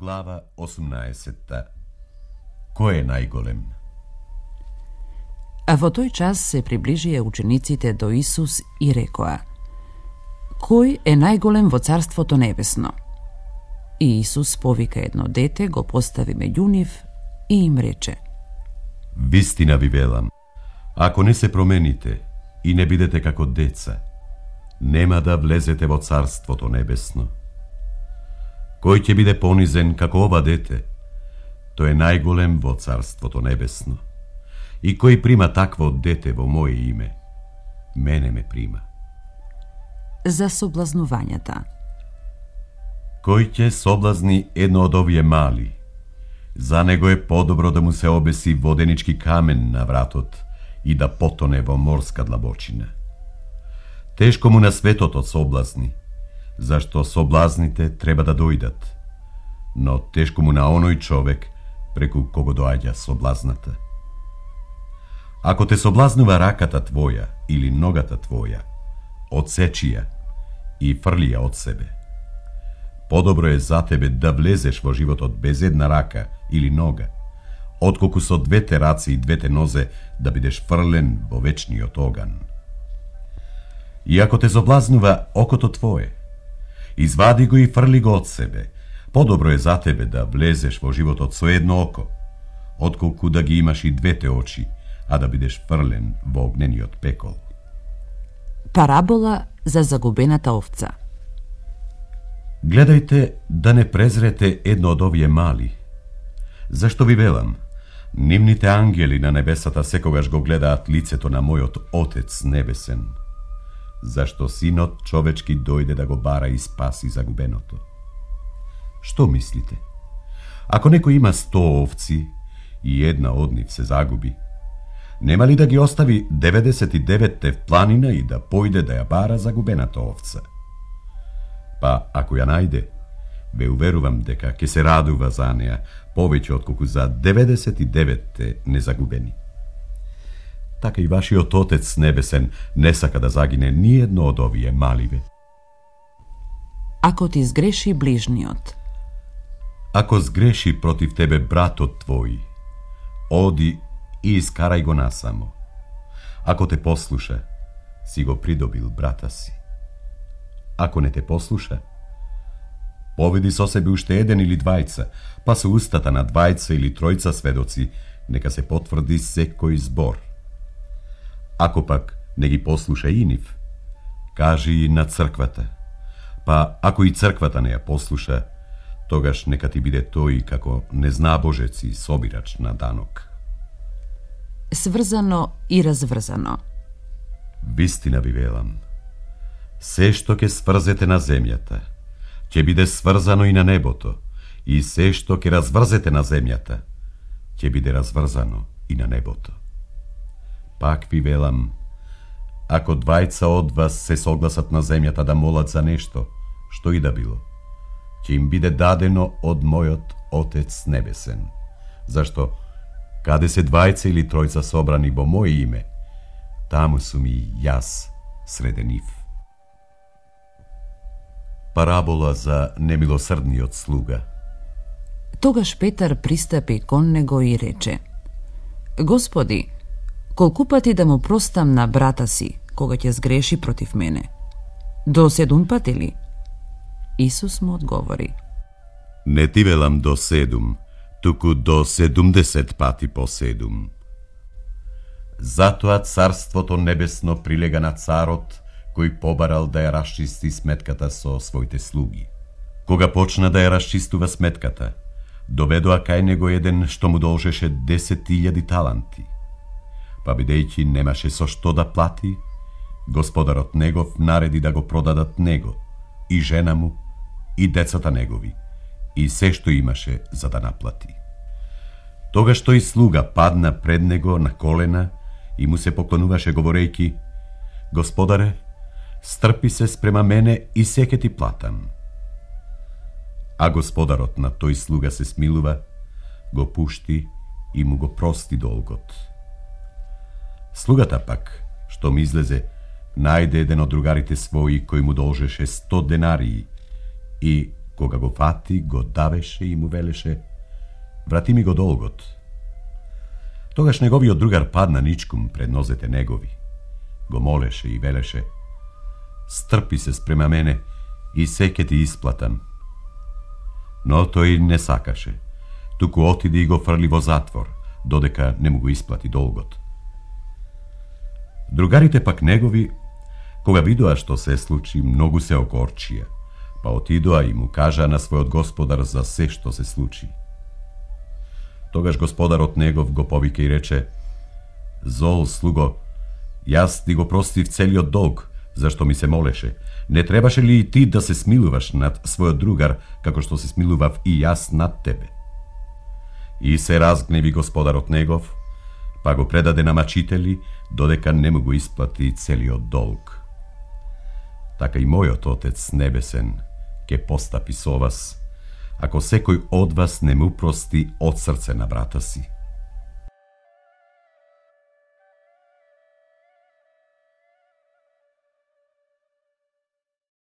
Глава 18. Кој е најголем? А во тој час се приближија учениците до Исус и рекоа: Кој е најголем во Царството Небесно? И Исус повика едно дете, го постави меѓу нив и им рече: Вистина ви велам, ако не се промените и не бидете како деца, нема да влезете во Царството Небесно. Кој ќе биде понизен како ова дете, тој е најголем во Царството Небесно. И кој прима такво дете во моје име, мене ме прима. За соблазнувањата. Кој ќе соблазни едно од овие мали, за него е подобро да му се обеси воденички камен на вратот и да потоне во морска длабочина. Тешко му на светот од соблазни, зашто соблазните треба да дојдат, но тешко му на оној човек преку кого доаѓа соблазната. Ако те соблазнува раката твоја или ногата твоја, одсечи ја и фрли ја од себе. Подобро е за тебе да влезеш во животот без една рака или нога, отколку со двете раци и двете нозе да бидеш фрлен во вечниот оган. И ако те соблазнува окото твое, извади го и фрли го од себе. Подобро е за тебе да влезеш во животот со едно око, отколку да ги имаш и двете очи, а да бидеш фрлен во огнениот пекол. Парабола за загубената овца. Гледајте да не презрете едно од овие мали. Зашто ви велам, нивните ангели на небесата секогаш го гледаат лицето на мојот Отец небесен, зашто Синот човечки дојде да го бара и спаси загубеното. Што мислите? Ако некој има 100 овци и една од нив се загуби, нема ли да ги остави 99-те в планина и да појде да ја бара загубената овца? Па, ако ја најде, ве уверувам дека ќе се радува за неа повеќе отколку за 99-те незагубени. Така и вашиот Отец небесен не сака да загине ни едно од овие маливе. Ако ти сгреши ближниот. Ако сгреши против тебе братот твој, оди и искарај го насамо. Ако те послуша, си го придобил брата си. Ако не те послуша, поведи со себе уште еден или двајца, па со устата на двајца или тројца сведоци нека се потврди секој збор. Ако пак не ги послуша и нив, кажи и на црквата. Па ако и црквата не ја послуша, тогаш нека ти биде тој како незнабожец и собирач на данок. Сврзано и разврзано. Вистина ви велам, се што ќе сврзете на земјата, ќе биде сврзано и на небото, и се што ќе разврзете на земјата, ќе биде разврзано и на небото. Пак ви велам, ако двајца од вас се согласат на земјата да молат за нешто, што и да било, ќе им биде дадено од мојот Отец небесен. Зашто, каде се двајца или тројца собрани во моје име, таму сум и јас среде нив. Парабола за немилосрдниот слуга. Тогаш Петар пристапи кон него и рече: Господи, колку пати да му простам на брата си, кога ќе сгреши против мене? До 7 пати ли? Исус му одговори: Не ти велам до 7, туку до 70 пати по 7. Затоа Царството Небесно прилега на царот, кој побарал да ја расчисти сметката со своите слуги. Кога почна да ја расчистува сметката, доведоа кај него еден што му должеше 10.000 таланти. Па бидејќи немаше со што да плати, господарот негов нареди да го продадат него, и жена му, и децата негови, и се што имаше за да наплати. Тогаш тој слуга падна пред него на колена и му се поклонуваше говорејќи: Господаре, стрпи се спрема мене и се ќе ти платам. А господарот на тој слуга се смилува, го пушти и му го прости долгот. Слугата пак, што ми излезе, најде еден од другарите своји кој му должеше 100 денарии и Кога го фати, го давеше и му велеше: врати ми го долгот. Тогаш неговиот другар падна ничкум пред нозете негови. Го молеше и велеше: стрпи се спрема мене и се ке ти исплатам. Но тој не сакаше, туку отиде и го фрли во затвор, додека не му го исплати долгот. Другарите пак негови, кога видоа што се случи, многу се окорчија, па отидоа и му кажа на својот господар за се што се случи. Тогаш господарот негов го повика и рече: зол слуго, јас ти го простив целиот долг, зашто ми се молеше. Не требаше ли и ти да се смилуваш над својот другар, како што се смилував и јас над тебе? И се разгневи господарот негов, па го предаде на мачители, додека не му го исплати целиот долг. Така и мојот Отец небесен ке постапи со вас, ако секој од вас не му прости од срце на брата си.